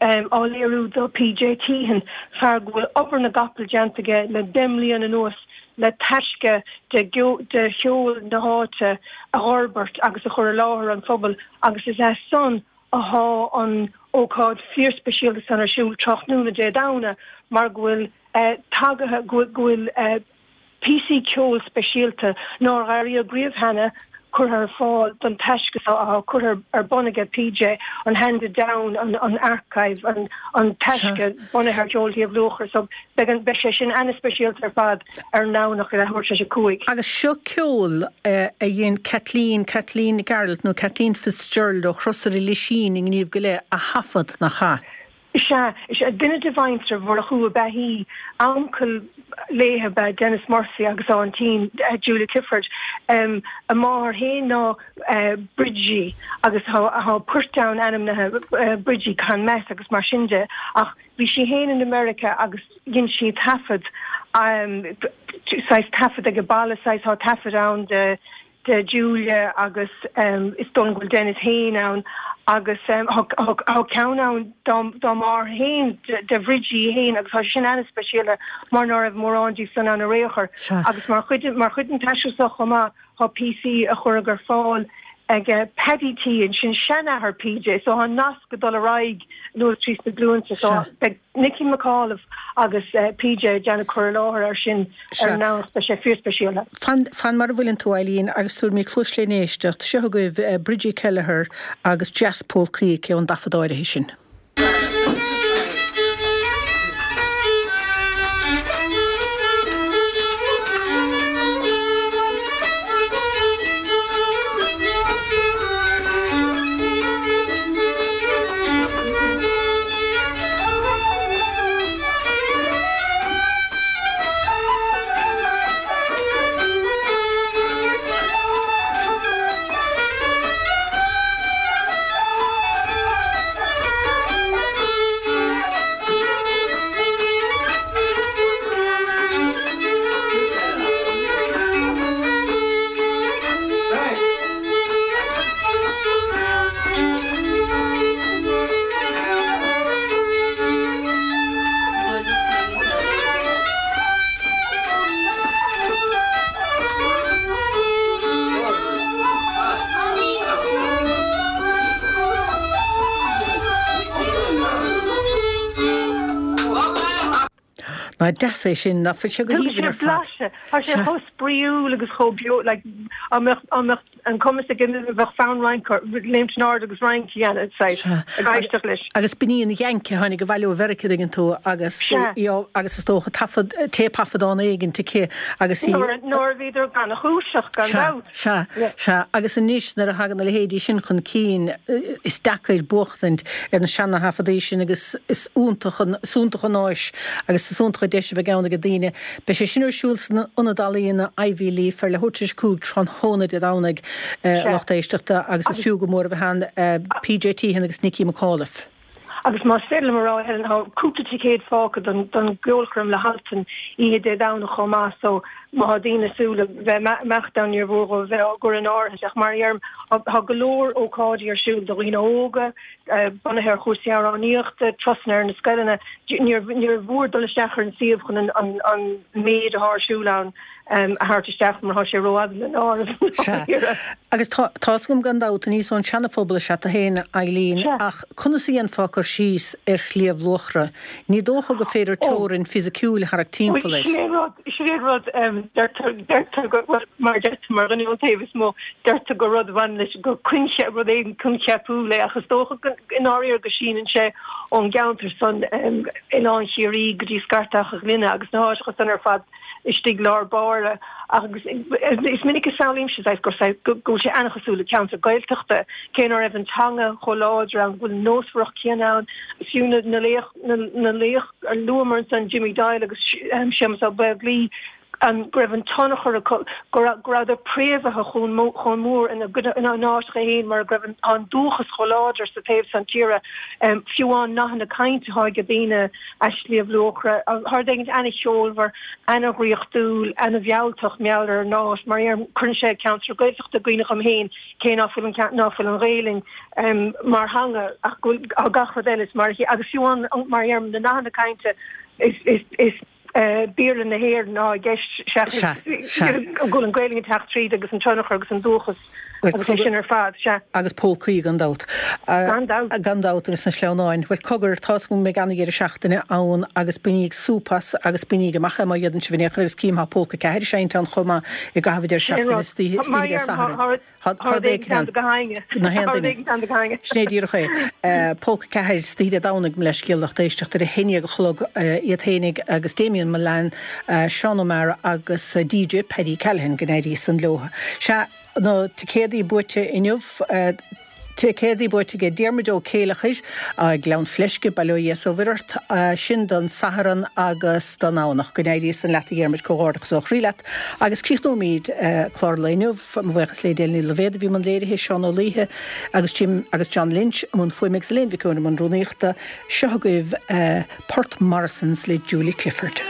á léiriú do PJ Teehan, fear go bhfuil obair na gcapall déanta aige le 10 mbliana anuas le taisce de de cheol na háite a dh'fhorbairt agus a chur i láthair an phobail agus is as san athá an ócáid fíorspeisialta san ar siúl tráthnóna Dé Domhnaigh mar go bhfuil tagaithe go bhfuil Píosaí ceoil speisialta nár airíodh riamh cheana curtha ar fáil don taisce seo atá curtha ar bun aige PJ, an Handed Down, an Archive, an taisce bunaithe ar cheol Shliabh Luachra. So beidh beidh sé sin ana-speisialta ar fad ar an nDomhnach ag leathuair tar éis a 5. Agus seo ceol a dhein Kathleen, Kathleen Nic Gearailt nó Kathleen Fitzgerald ó Chrosaire Lisín i nGníomh go Leith a thaifead, nach ea? Is ea, is ea. Duine de mhuintir Mhurchú ab ea í. Uncail léi ab ea Denis Murphy agus a aintín Julia Clifford. A máthair féin ná Bridgie agus tá poirt ann ainmnithe Bridgie Conmess agus mar sin de ach bhí sí féin in America agus dhein sí taifead, saghas taifead ag baile, saghas tá taifead ann de de Julia agus is dóigh liom go bhfuil Denis féin ann agus tá ceann ann dá máthair féin, de Bhridgie féin agus tá sé sin ana-speisialta mar ná raibh mórán díobh san ann ar aon chor. Agus mar chuid mar chuid den taisce seo chomh maith tá píosaí a cuireadh ar fáil ag Paddy Teehan, sin seanathair PJ, so tá an nasc ag dul ar aghaidh anuas tríd na glúinte so beidh Nicky McAuliffe agus PJ ag déanamh cur i láthair air sin ar an nDomhnach. Beidh sé fíorspeisialta. Fan, fan mar a bhfuileann tú, Eileen, agus tabharfaidh mé cluas len éisteacht. Seo agaibh Bridgie Kelleher agus Dreas Pócaí aici ón dtaifead áirithe sin. Nach deas é sin, nach bhfuil sé go Tugann haoibhinn sé ar fad. blaiseadh. Tá sé Sea. chomh spraíúil agus chomh beo, like, dá mbeadh, dá mbeadh an cumas ag duine, bheadh fonn rince, léimt in airde agus rince a dhéanamh, saghas, Sea. ag éisteacht leis. Agus b'in í an Yank a tháinig abhaile ó Mheiriceá, tuigeann tú, agus Sea. í á, agus is dócha taifead, téipthaifeadán éigint aici agus í. Nuair, nuair a bhíodar gannchúiseach, gan Sea, dabht. sea, Yeah. sea. Agus anois nuair a thagann a leithéidí sin chun cinn, is deacair buachtaint ar na seana-thaifeadaí sin agus is iontach an, is iontach an áis agus is iontach an deis a bheidh ann ag daoine. Beidh sé sin ar siúl san Ionad Ealaíona Ivy Leaf ar leathuair tar éis 5 tráthnóna Dé Domhnaigh, a lucht éisteachta, agus is fiú go mór a bheith ann. PJ Teehan agus Nicky McAuliffe. Agus más féidir liom a rá, Helen, tá cúpla ticéad fágtha don don gceolchoirm le hAltan oíche Dé Domhnaigh chomh maith so má tá daoine ag súil le bheith imeacht ann níor mhór dhóibh bheith á gcur in áirithe ach mar a dheirim tá go leor ócáidí ar siúl do dhaoine óga, bunaithe ar chúrsaí amhránaíochta, turasanna ar na scoileanna. Níor níor mhór dul isteach ar an suíomh chun an an méid atá ar siúl ann a thabhairt isteach mar tá sé rófhada le n-áireamh. Sea. Agus tá tá's agam gan dabht, aníos ón Seana-Phobal is ea tú féin, Eileen, Sea. ach conas a dhéanfá cur síos ar Shliabh Luachra? Ní dócha gur féidir teorainn fisiciúil a tharrac Bhuel, timpeall air. sin é an rud, sin é an rud, deirtear, deirtear go, bhuel, mar a deirtear, mar dhuine ón taobh is mó, deirtear gur rud a bhaineann leis, gur coincheap, rud éigin coincheapúil é, ach is dócha go, i ndáiríre go síneann sé ón gceantar san, Oileán Chiarraí go dtí Scartach a' Ghlinne agus na háiteacha san ar fad istigh lár báire agus is minic a samhlaímse saghas gur saghas go bhfuil sé an-chosúil le ceantar Gaeltachta, cé ná raibh an teanga chomh láidir ann, go bhfuil an nósmhaireacht chéanna ann, fiú na na laoch na na laoch a luamar ansan Jimmy Doyle agus Séamus Ó Beaglaoi, an go raibh an tionchar acu, go raibh go rabhadar préamhaithe chomh chomh mór ina gcuid ina n-áiteacha féin mar go raibh an an dúchas chomh láidir sa taobh san tíre, fiú amháin nathanna cainte atá ag daoine. As Sliabh Luachra. Tá rud éigin ana-cheolmhar, ana-dhraíochtúil, ana-mhealltach mar gheall ar an áit. Mar a dheirim, cuireann sé ceantar Gaeltachta i gcuimhne dhom féin, cé ná fuil an ná fuil an Ghaelainn mar theanga ach go bhfuil tá gach rud eile is mar agus fiú amháin mar a dheirim, na nathanna cainte is is is Béarla na hÉireann atá i gceist seachas go bhfuil an Ghaelainn ag teacht tríd agus an tionchar agus an dúchas. Agus é sin ar fad, sea. Agus pócaí, gan dabht. Gan dabht. Gan dabht, agus na sleamhnáin. Bhuel, cogar, tá's agam go mbeidh ana-dheireadh seachtaine ann agus bainigí súp as agus bainigí amach é má fhéadann sibh in aon chor agus cím tá Pólca 4 ag seinnt ann chomh maith i gcaitheamh an deireadh seachtaine istoíche Dé Sathairn. Tá rud éicint ann do gach éinne. Na haon duine. Sin é díreach é. Pólca 4 istoíche Dé Domhnaigh, mo leithscéal, lucht éisteachta, ar a haon déag a chlog iad fhéinig agus Damien Mullane, Seán O'Meara agus DJ Paddy Callaghan, go n-éirí san leo. Sea. Na ticéadaí buaite inniu, Ticéadaí buaite aige Diarmuid Ó Céileachair, Gleann Fleisce, Bail ó Dhia 's ó Mhuire ort, sin don Satharn agus don Domhnach. Go n-éirí san leat a Dhiarmuid, comhghairdeachas ó chroí leat. Agus críochnóimid clár an lae inniu, mo bhuíochas le Edel Ní Loibhéad a bhí i mbun léirithe, Seán Ó Laoithe agus Jim agus John Lynch i mbun fuaime agus Elaine Mhic Eoin i mbun rúnaíochta. Seo agaibh Port Morrisons le Julie Clifford.